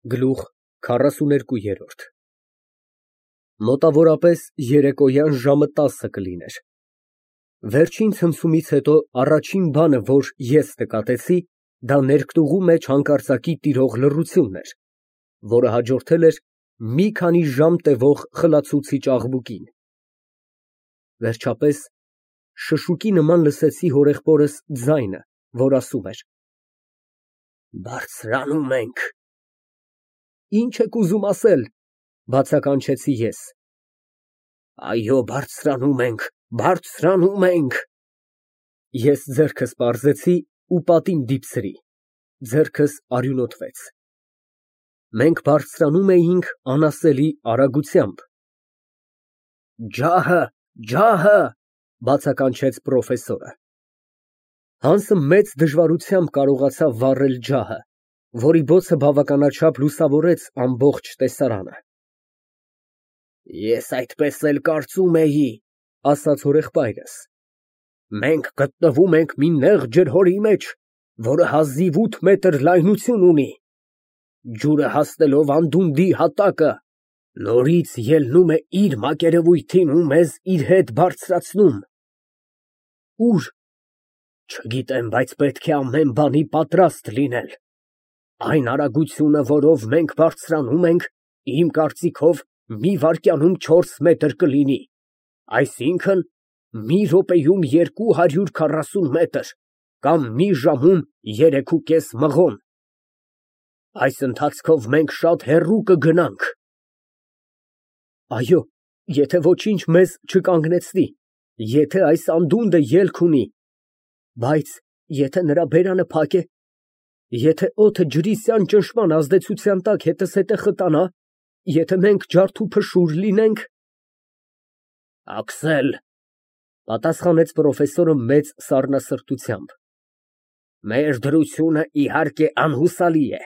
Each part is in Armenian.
Գլուխ 42 Մոտավորապես երեկոյան ժամը 10 կլիներ։ Վերջին ցնցումից հետո առաջին բանը, որ ես նկատեցի, դա ներկտուղու մեջ հանկարծակի տիրող լռությունն էր, որը հաջորդել էր մի քանի ժամ տևող խլացուցիչ աղմուկին։ Վերջապես շշուկի նման լսեցի հորեղբորս ձայնը, որ ասում էր. Բարձրանում ենք։ Ինչ եք ուզում ասել, բացականչեցի ես։ Այո, բարձրանում ենք, բարձրանում ենք։ Ես ձեռքս պարզեցի ու պատին դիպցրի, ձեռքս արյունոտվեց։ Մենք բարձրանում էինք անասելի արագությամբ։ Ջահը, ջահը, բացականչեց պրոֆեսորը։ Հանսը մեծ դժվարությամբ կարողացավ վառել ջահը, որի բոցը բավականաչափ լուսավորեց ամբողջ տեսարանը։ Ես այդպես էլ կարծում էի, ասաց հորեղբայրս։ Մենք գտնվում ենք մի նեղ ջրհորի մեջ, որը հազիվ 8 մետր լայնություն ունի։ Ջուրը հասնելով անդունդի հատակը, նորից ելնում է իր մակերևույթին ու մեզ իր հետ բարձրացնում։ Ուր։ Չգիտեմ, բայց պետք է ամեն բանի պատրաստ լինել։ Այն արագությունը, որով մենք բարձրանում ենք, իմ կարծիքով մի վայրկյանում 4 մետր կլինի, այսինքն մի րոպեում 240 մետր, կամ մի ժամում 3.5 մղոն։ Այս ընթացքով մենք շատ հեռու կգնանք։ Այո, եթե ոչինչ մեզ չկանգնեցնի, եթե այս անդունդը ելք ունի, բայց եթե նրա բերանը փակ է, եթե օդը ջրիսյան ճնշման ազդեցության տակ հետզհետե խտանա, եթե մենք ջարդուփշուր լինենք… Աքսել, պատասխանեց պրոֆեսորը մեծ սառնասրտությամբ, մեր դրությունը իհարկե անհուսալի է,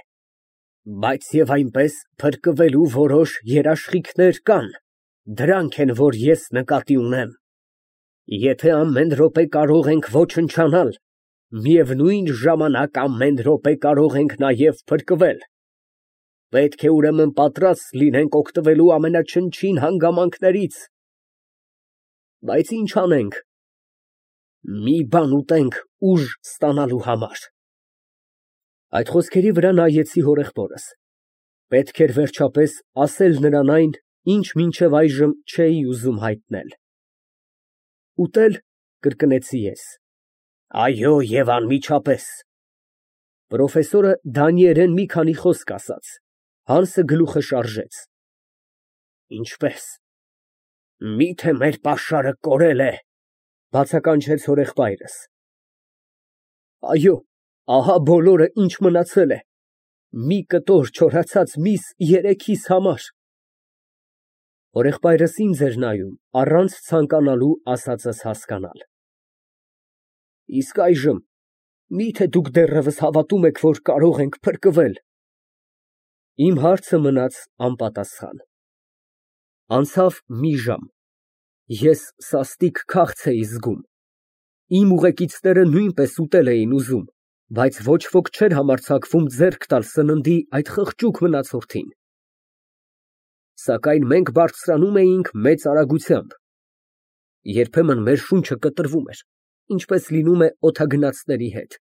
բայց և այնպես փրկվելու որոշ երաշխիքներ կան, դրանք են, որ ես նկատի ունեմ։ Եթե ամեն րոպե կարող ենք ոչնչանալ, միևնույն ժամանակ ամեն րոպե կարող ենք նաև փրկվել։ Պետք է ուրեմն պատրաստ լինենք օգտվելու ամենաչնչին հանգամանքներից։ Բայց ինչ անենք։ Մի բան ուտենք ուժ ստանալու համար։ Այդ խոսքերի վրա նայեցի հորեղբորս։ Պետք էր վերջապես ասել նրան այն, ինչ մինչև այժմ չէի ուզում հայտնել։ Ուտել, կրկնեցի ես։ Այո, և անմիջապես։ Պրոֆեսորը դանիերեն մի քանի խոսք ասաց, Հանսը գլուխը շարժեց։ Ինչպես։ Միթե մեր պաշարը կորել է, բացականչեց հորեղբայրս։ Այո, ահա բոլորը, ինչ մնացել է, մի կտոր չորացած միս 3-իս համար։ Հորեղբայրս ինձ էր նայում, առանց ցանկանալու ասածս հասկանալ։ Իսկ այժմ, միթե դուք դեռևս հավատում եք, որ կարող ենք փրկվել։ Իմ հարցը մնաց անպատասխան։ Անցավ մի ժամ։ Ես սաստիկ քաղց էի զգում։ Իմ ուղեկիցները նույնպես ուտել էին ուզում, բայց ոչ ոք չէր համարձակվում ձեռք տալ սննդի այդ խղճուկ մնացորդին։ Սակայն մենք բարձրանում էինք մեծ արագությամբ։ Երբեմն մեր շունչը կտրվում էր, ինչպես լինում է օդագնացների հետ,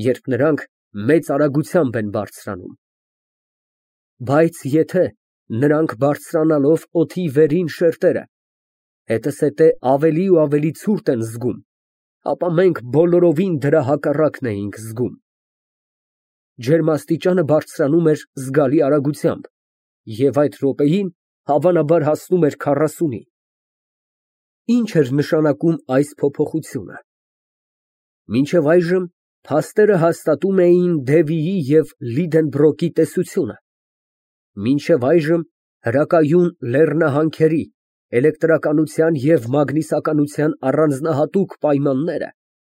երբ նրանք մեծ արագությամբ են բարձրանում։ Բայց եթե նրանք բարձրանալով օդի վերին շերտերը հետզհետե ավելի ու ավելի ցուրտ են զգում, ապա մենք բոլորովին դրա հակառակն էինք զգում։ Ջերմաստիճանը բարձրանում էր զգալի արագությամբ, և այդ րոպեին հավանաբար հասնում էր 40-ի։ Ինչ էր նշանակում այս փոփոխությունը։ Մինչև այժմ փաստերը հաստատում էին Դևիի և Լիդենբրոկի տեսությունը։ Մինչև այժմ հրակայուն լեռնահանքերի, էլեկտրականության և մագնիսականության առանձնահատուկ պայմանները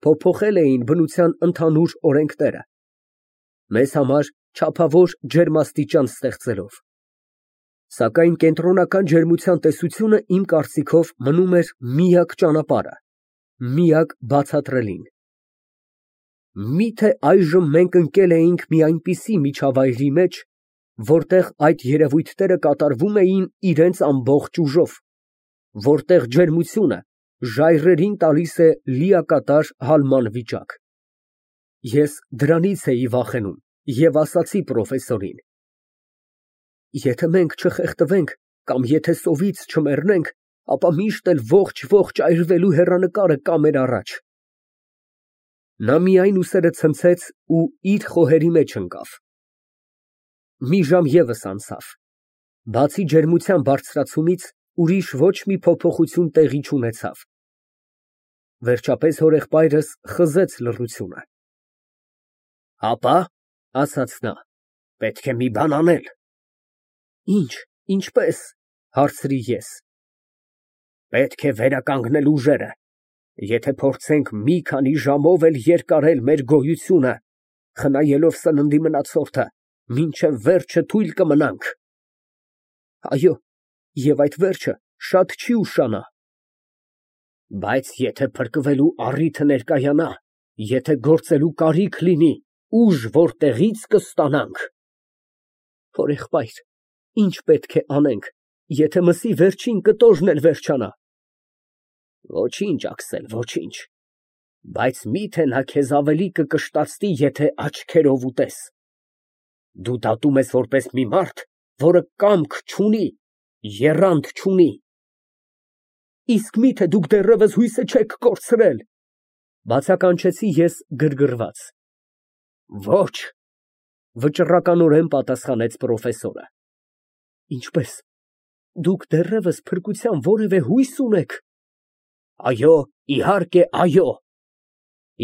փոփոխել էին բնության ընդհանուր օրենքները, մեզ համար չափավոր ջերմաստիճան ստեղծելով։ Սակայն կենտրոնական ջերմության տեսությունը, իմ կարծիքով, մնում էր միակ ճանապարհը, միակ բացատրելին։ Միթե այժմ մենք ընկել էինք մի այնպիսի միջավայրի մեջ, որտեղ այդ երևույթները կատարվում էին իրենց ամբողջ ուժով, որտեղ ջերմությունը ժայռերին տալիս է լիակատար հալման վիճակ։ Ես դրանից էի վախենում և ասացի պրոֆեսորին. եթե մենք չխեղդվենք կամ եթե սովից չմեռնենք, ապա միշտ էլ ողջ այրվելու հեռանկարը կա մեր առաջ։ Նա միայն ուսերը ցնցեց ու իր խոհերի մեջ ընկավ։ Մի ժամ ևս անցավ, բացի ջերմության բարձրացումից ուրիշ ոչ մի փոփոխություն տեղի չունեցավ։ Վերջապես հորեղբայրս խզեց լռությունը։ Հապա, ասաց նա, պետք է մի բան անել։ Ինչպես, հարցրի ես։ Պետք է վերականգնել ուժերը։ Եթե փորձենք մի քանի ժամով էլ երկարել մեր գոյությունը, խնայելով սննդի մնացորդը, մինչև վերջը թույլ կմնանք։ Այո, և այդ վերջը շատ չի ուշանա։ Բայց եթե փրկվելու առիթը ներկայանա, եթե գործելու կարիք լինի, ուժ որտեղի՞ց կստանանք։ Հորեղբայր, ինչ պետք է անենք, եթե մսի վերջին կտորն էլ վերջանա։ Ոչինչ, ոչինչ, բայց միթե նա քեզ ավելի կկշտացնի, եթե աչքերով ուտես։ Դու դատում ես որպես մի մարդ, որը կամք չունի, եռանդ չունի։ Իսկ միթե դուք դեռևս հույսը չեք կորցրել, բացականչեցի ես գրգռված։ Ոչ, վճռականորեն պատասխանեց պրոֆեսորը։ Ինչպես, դուք դեռևս փրկության որևէ հույս ունեք։ Այո, իհարկե, այո։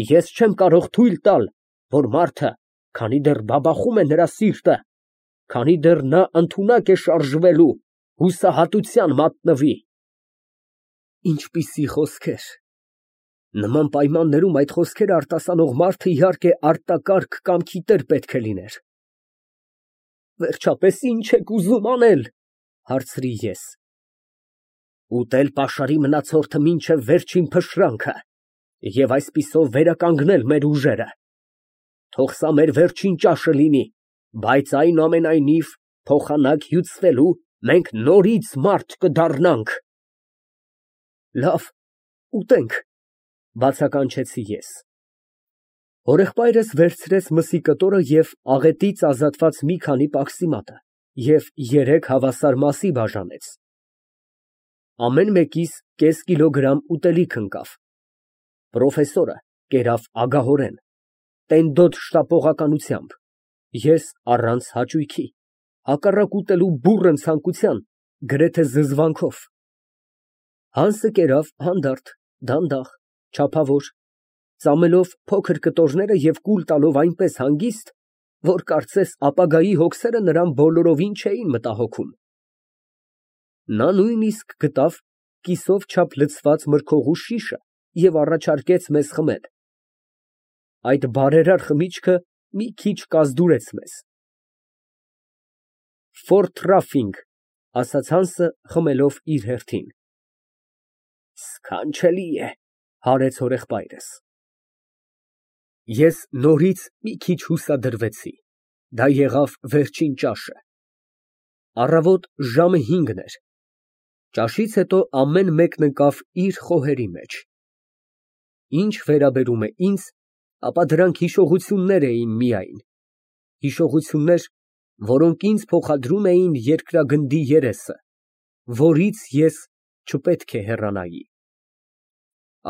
Ես չեմ կարող թույլ տալ, որ մարդը, քանի դեռ բաբախում է նրա սիրտը, քանի դեռ նա ընդունակ է շարժվելու, հուսահատության մատնվի։ Ինչպիսի խոսքեր։ Նման պայմաններում այդ խոսքերը արտասանող մարդը իհարկե արտակարգ կամքի տեր պետք է լիներ։ Վերջապես ինչ եք ուզում անել, հարցրի ես։ Ուտել պաշարի մնացորդը մինչև վերջին փշրանքը և այսպիսով վերականգնել մեր ուժերը։ Թող սա մեր վերջին ճաշը լինի, բայց այնուամենայնիվ փոխանակ հյուծվելու մենք նորից մարդ կդառնանք։ Լավ, ուտենք, բացականչեցի ես։ Հորեղբայրս վերցրեց մսի կտորը և աղետից ազատված մի քանի պաքսիմատը և 3 հավասար մասի բաժանեց։ Ամեն մեկիս կես կիլոգրամ ուտելիք ընկավ։ Պրոֆեսորը կերավ ագահորեն, տենդոտ շտապողականությամբ, ես առանց հաճույքի, հակառակ ուտելու բուռն ցանկության, գրեթե զզվանքով։ Հանսը կերավ հանդարտ, դանդաղ, չափավոր, ծամելով փոքր կտորները և կուլ տալով այնպես հանգիստ, որ կարծես ապագայի հոգսերը նրան բոլորովին չէին մտահոգում։ Նա նույնիսկ գտավ կիսով չափ լցված մրգօղու շիշը և առաջարկեց մեզ խմել։ Այդ բարերար խմիչքը մի քիչ կազդուրեց մեզ։ Ֆորթրաֆինգ, ասաց Հանսը, խմելով իր հերթին։ Սքանչելի է, հարեց հորեղբայրս։ Ես նորից մի քիչ հուսադրվեցի։ Դա եղավ վերջին ճաշը։ Առավոտ ժամը 5-ն էր։ Ճաշից հետո ամեն մեկն ընկավ իր խոհերի մեջ։ Ինչ վերաբերում է ինձ, ապա դրանք հիշողություններ էին միայն, հիշողություններ, որոնք ինձ փոխադրում էին երկրագնդի երեսը, որից ես չպետք է հեռանայի։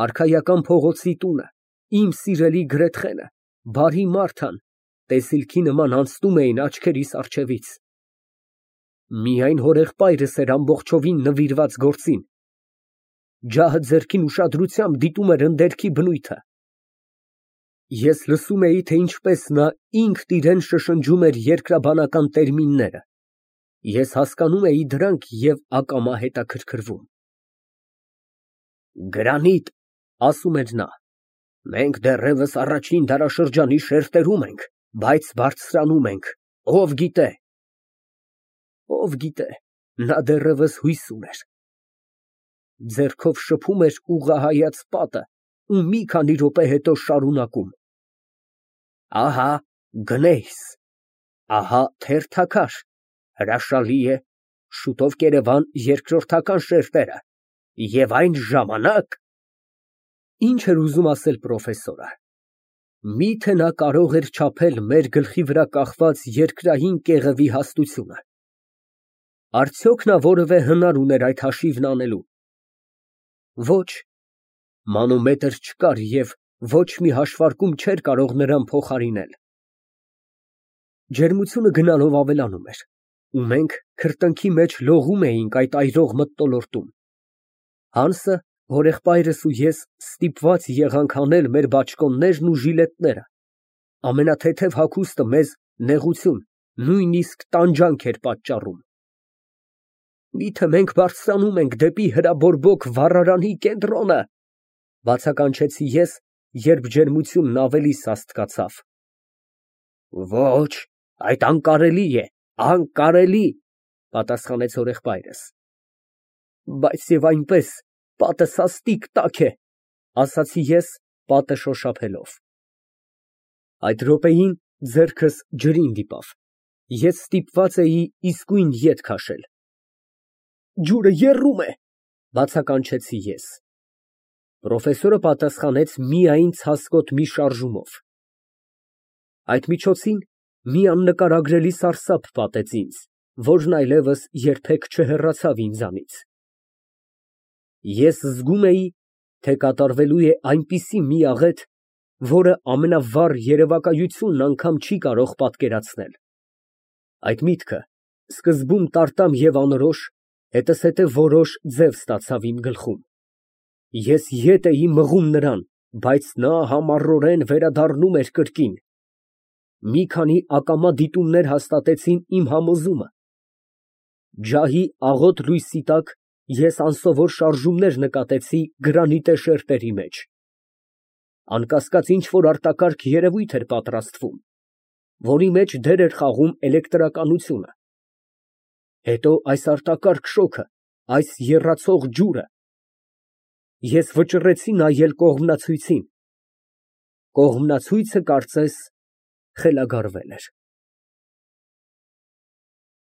Արքայական փողոցի տունը, իմ սիրելի Գրեթխենը, բարի Մարթան, տեսիլքի նման անցնում էին աչքերիս առջևից։ Միայն հորեղբայրս էր ամբողջովին նվիրված գործին։ Ջահը ձեռքին ուշադրությամբ դիտում էր ընդերքի բնույթը։ Ես լսում էի, թե ինչպես նա ինքն իրան շշնջում էր երկրաբանական տերմինները։ Ես հասկանում էի դրանք և ակամա հետաքրքրվում։ Գրանիտ, ասում էր նա, մենք դեռևս առաջին դարաշրջանի շերտերում ենք, բայց բարձրանում ենք, ով գիտե։ Ով գիտե, նա դեռևս հույս ուներ։ Ձեռքով շփում էր ուղղահայաց պատը ու մի քանի րոպե հետո շարունակում. Ահա Գնեյս, ահա թերթաքար, Հրաշալի է, շուտով կերևան երկրորդական շերտերը, և այն ժամանակ… Ինչ էր ուզում ասել պրոֆեսորը։ Միթե նա կարող էր չափել մեր գլխի վրա կախված երկրային կեղևի հաստությունը… Արդյոք նա որևէ հնար ուներ այդ հաշիվն անելու։ Ոչ, մանոմետր չկար և ոչ մի հաշվարկում չէր կարող նրան փոխարինել։ Ջերմությունը գնալով ավելանում էր, ու մենք քրտինքի մեջ լողում էինք այդ այրող մթնոլորտում։ Հանսը, հորեղբայրս ու ես ստիպված եղանք հանել մեր բաճկոններն ու ժիլետները, ամենաթեթև հագուստը մեզ նեղություն, նույնիսկ տանջանք էր պատճառում։ Միթե մենք բարձրանում ենք դեպի հրաբորբոք վառարանի կենտրոնը, բացականչեցի ես, երբ ջերմությունն ավելի սաստկացավ։ Ոչ, այդ անկարելի է, անկարելի, պատասխանեց հորեղբայրս։ Բայց և այնպես, պատը սաստիկ տաք է, ասացի ես, պատը շոշափելով։ Այդ րոպեին ձեռքս ջրին դիպավ, ես ստիպված էի իսկույն ետ քաշել։ Ջուրը եռում է, բացականչեցի ես։ Պրոֆեսորը պատասխանեց միայն ցասկոտ մի շարժումով։ Այդ միջոցին մի աննկարագրելի սարսափ պատեց ինձ, որն այլևս երբեք չհեռացավ ինձանից։ Ես զգում էի, թե կատարվելու է այնպիսի մի աղետ, որը ամենավառ երևակայությունն անգամ չի կարող պատկերացնել։ Այդ միտքը սկզբում տարտամ և անորոշ, հետզհետև որոշ ձև ստացավ իմ գլխում։ Ես ետ էի մղում նրան, բայց նա համառորեն վերադառնում էր կրկին։ Մի քանի ակամա դիտումներ հաստատեցին իմ համոզումը։ Ջահի աղոտ լույսի տակ ես անսովոր շարժումներ նկատեցի գրանիտե շերտերի մեջ։ Անկասկած ինչ֊որ արտակարգ երևույթ էր պատրաստվում, որի մեջ դեր էր խաղում էլեկտրականությունը։ Հետո այս արտակարգ շոգը, այս եռացող ջուրը… Ես վճռեցի նայել կողմնացույցին։ Կողմնացույցը, կարծես, խելագարվել էր։